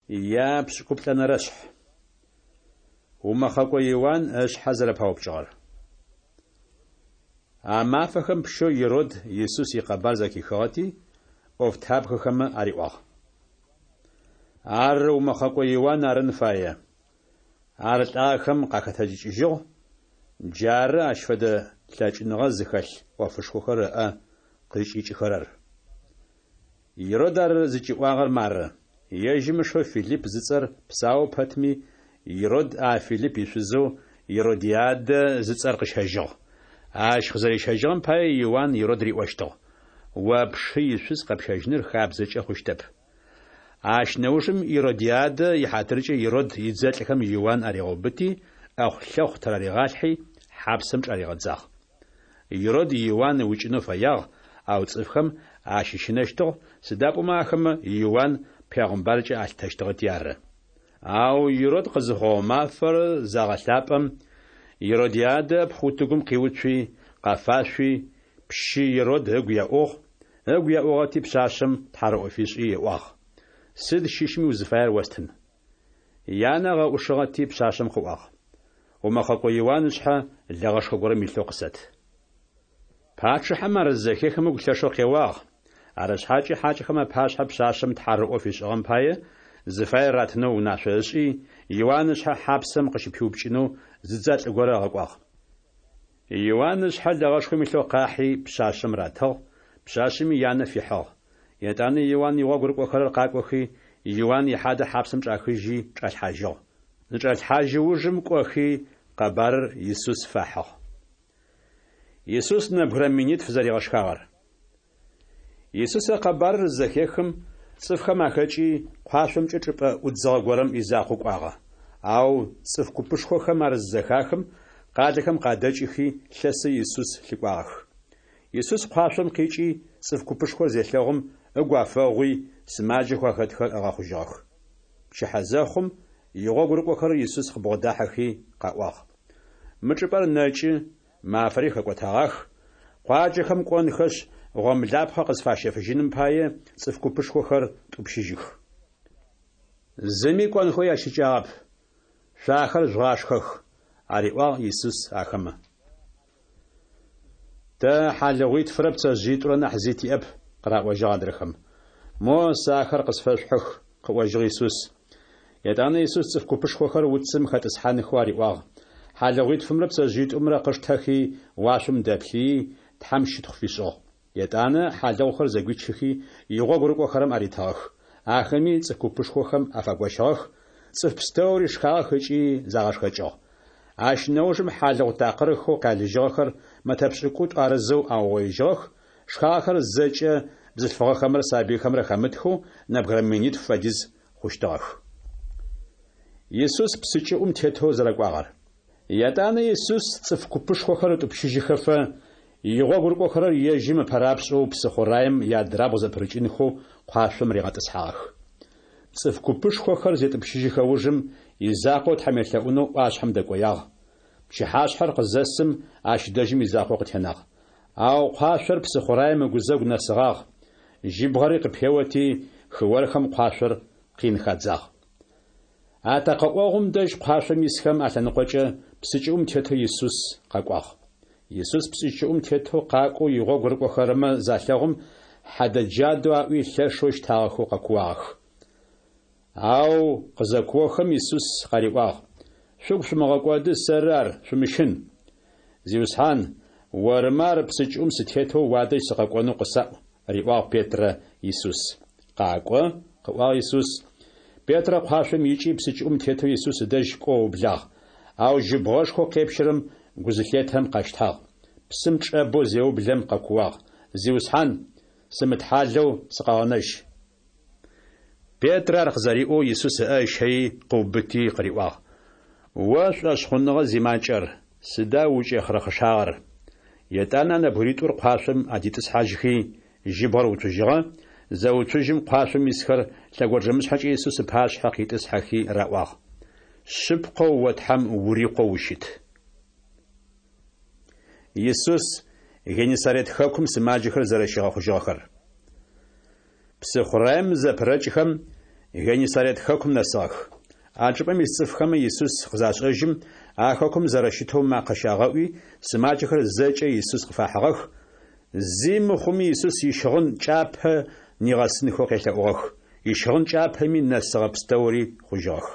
Япшӏыкӏуплӏэнэрэшъхь. Умэхъэкӏо Иуан ышъхьэ зэрэпаупкӏыгъэр. А мафэхэм пщэу Ирод Исус икъэбар зэхихыгъэти, ӏофтабгэхэмэ ариӏуагъ. Ар умэхъэкӏо Иуан арын фае. Ар лӏагъэхэм къахэтэджыкӏыжьыгъ, джары ащ фэдэ лъэкӏыныгъэ зыхэлъ ӏофышхохэр ыӏэ къызкӏикӏыхэрэр. Ирод ар зыкӏиӏуагъэр мары: ежьым ышэу Филипп зыцӏэр псау пэтми, Ирод а Филипп ишъузэу Иродиадэ зыцӏэр къыщэжьыгъ. Ащ къызэрищэжьыгъэм пае Иуан Ирод риӏощтыгъ: О пшы ишъуз къэпщэжьыныр хабзэкӏэ хъущтэп. Ащ нэужым Иродиадэ ихьатыркӏэ Ирод идзэлӏхэм Иуан аригъэубыти, ӏэхъу-лъэхъу тыраригъалъхьи, хьапсэм чӏаригъэдзагъ. Ирод Иуан ыукӏынэу фэягъ, ау цӏыфхэм ащыщынэщтыгъ, сыда пӏомэ ахэмэ Иуан пегъымбаркӏэ алъытэщтыгъэти ары. Ау Ирод къызыхъугъэ мафэр загъэлъапӏэм, Иродиадэ ыпхъу утыгум къиуцуи, къэфашъуи, пщы Ирод ыгу еӏугъ, ыгу еӏугъэти пшъашъэм тхьарыӏо фишӏи ыӏуагъ: Сыд щыщми узыфаер остын. Янэ ыгъэӏушыгъэти пшъашъэм къыӏуагъ: Умэхъэкӏо Иуан ышъхьэ лэгъэшхо горэм илъэу къысэт. Пачъыхьэм ар зызэхехым ыгу лъэшэу къеуагъ, арышъхьакӏэ хьакӏэхэм апашъхьэ пшъашъэм тхьарыӏо фишӏыгъэм пае зыфаер ратынэу унашъо ышӏи, Иуан ышъхьэ хьапсэм къыщыпиупкӏынэу зы дзэлӏ горэ ыгъэкӏуагъ. Иуан ышъхьэ лэгъэшхом илъэу къахьи, пшъашъэм ратыгъ, пшъашъэми янэ фихьыгъ. Етӏанэ Иуан игъогу рыкӏохэрэр къакӏохи, Иуан ихьадэ хьапсэм чӏахыжьи чӏалъхьажьыгъ. Зычӏалъхьажьы ужым кӏохи, къэбарыр Исус фахьыгъ. Исус нэбгырэ минитф зэригъэшхагъэр. Исус а къэбарыр зызэхехым, цӏыфхэм ахэкӏи, къуашъомкӏэ чӏыпӏэ ӏудзыгъэ горэм изакъоу кӏуагъэ. Ау цӏыф купышхохэм ар зызэхахым, къалэхэм къадэкӏыхи, лъэсэу Исус лъыкӏуагъэх. Исус къуашъом къикӏи, цӏыф купышхор зелъэгъум, ыгу афэгъуи, сымаджэхэу ахэтхэр ыгъэхъужьыгъэх. Пчыхьэ зэхъум, игъогу рыкӏохэрэр Исус къыбгъодахьэхи къаӏуагъ: Мы чӏыпӏэр нэкӏы, мафэри хэкӏотэгъах, къуаджэхэм кӏонхэшъ, гъомлапхъэ къызфащэфыжьыным пае, цӏыф купышхохэр тӏупщыжьых. Зыми кӏонхэу ящыкӏагъэп, шъо ахэр жъугъашхэх, ариӏуагъ Исус ахэмэ. Тэ хьалыгъуитфырэ пцэжъыитӏурэ нахь зи тиӏэп, къыраӏожьыгъ адрэхэм. Мо, сэ ахэр къысфэшъухьых, къыӏожьыгъ Исус. Етӏанэ Исус цӏыф купышхохэр уцым хэтӏысхьанхэу ариӏуагъ. Хьалыгъуитфымрэ пцэжъыитӏумрэ къыштэхи, уашъом дэплъыий, Тхьэм щытхъу фишӏыгъ. Етӏанэ хьалыгъухэр зэгуичыхи, игъогу рыкӏохэрэм аритыгъэх. Ахэми цӏыф купышхохэм афагощыгъэх, цӏыф пстэури шхагъэх ыкӏи загъэшхэкӏыгъ. Ащ нэужым хьалыгъу такъырхэу къялыжьыгъэхэр мэтэ пшӏыкӏутӏу арызэу аугъоижьыгъэх, шхагъэхэр зэкӏэ бзылъфыгъэхэмрэ сабыйхэмрэ хэмытхэу нэбгырэ минитф фэдиз хъущтыгъэх. Исус псы кӏыӏум тетэу зэрэкӏуагъэр. Етӏанэ Исус цӏыф купышхохэр ытӏупщыжьыхэфэ, игъогу рыкӏохэрэр ежьым ыпэрапшӏэу псыхъураем иадрабгъу зэпырыкӏынхэу къуашъом ригъэтӏысхьагъэх. Цӏыф купышхохэр зетӏупщыжьыхэ ужым, изакъоу Тхьэм елъэӏунэу ӏуашъхьэм дэкӏоягъ. Пчыхьашъхьэр къызэсым, ащ дэжьым изакъоу къытенагъ. Ау къуашъор псыхъураем ыгузэгу нэсыгъагъ, жьыбгъэри къыпеоти, хыорхэм къуашъор къин хадзагъ. Атэкъэӏогъум дэжь къуашъом исхэм алъэныкъокӏэ псы кӏыӏум тетэу Исус къэкӏуагъ. Исус псы кӏыӏум тетэу къакӏоу игъогу рыкӏохэрэмэ залъэгъум, хьэдэ-джадэу аӏуи лъэшэу щтагъэхэу къэкууагъэх. Ау къызэкуохэм Исус къариӏуагъ: Шъугу шъумыгъэкӏоды, сэры ар, шъумыщын. Зиусхьан, ормэ ар псы кӏыӏум сытетэу уадэжь сыкъэкӏонэу къысаӏу, риӏуагъ Петрэ Исус. Къакӏо, къыӏуагъ Исус. Петрэ куашъом икӏи псы кӏыӏум тетэу Исус ыдэжь кӏоу ыублагъ. Ау жьыбгъэшхоу къепщэрэм гу зылъетэм къэщтагъ. Псым чӏэбэу зеублэм къэкууагъ: Зиусхьан, сымытхьалэу сыкъэгъэнэжь! Петрэ ар къызэриӏоу Исус ыӏэ ыщэий къыубыти къыриӏуагъ: О шӏошъхъуныгъэ зимакӏэр, сыда укӏехъырэхъышагъэр? Етӏанэ а нэбгыритӏур куашъом адитӏысхьажьхи, жьыбгъэр уцужьыгъэ, зэуцужьым куашъом исхэр лъэгонджэмышъхьэкӏэ Исус ыпашъхьэ къитӏысхьэхи раӏуагъ: Шъыпкъэу о Тхьэм ури Къоу ущыт. Исус Геннисарет хэкум сымаджэхэр зэрэщигъэхъужьыгъэхэр. Псыхъураем зэпырэкӏхэм, Геннисарет хэкум нэсыгъэх. А чӏыпӏэм ис цӏыфхэмэ Исус къызашӏэжьым, а хэкум зэрэщытэу макъэ щагъэӏуи, сымаджэхэр зэкӏэ Исус къыфахьыгъэх, зи мыхъуми Исус ищыгъын кӏапэ нигъэсынхэу къелъэӏугъэх. Ищыгъын кӏапэми нэсыгъэ пстэури хъужьыгъэх.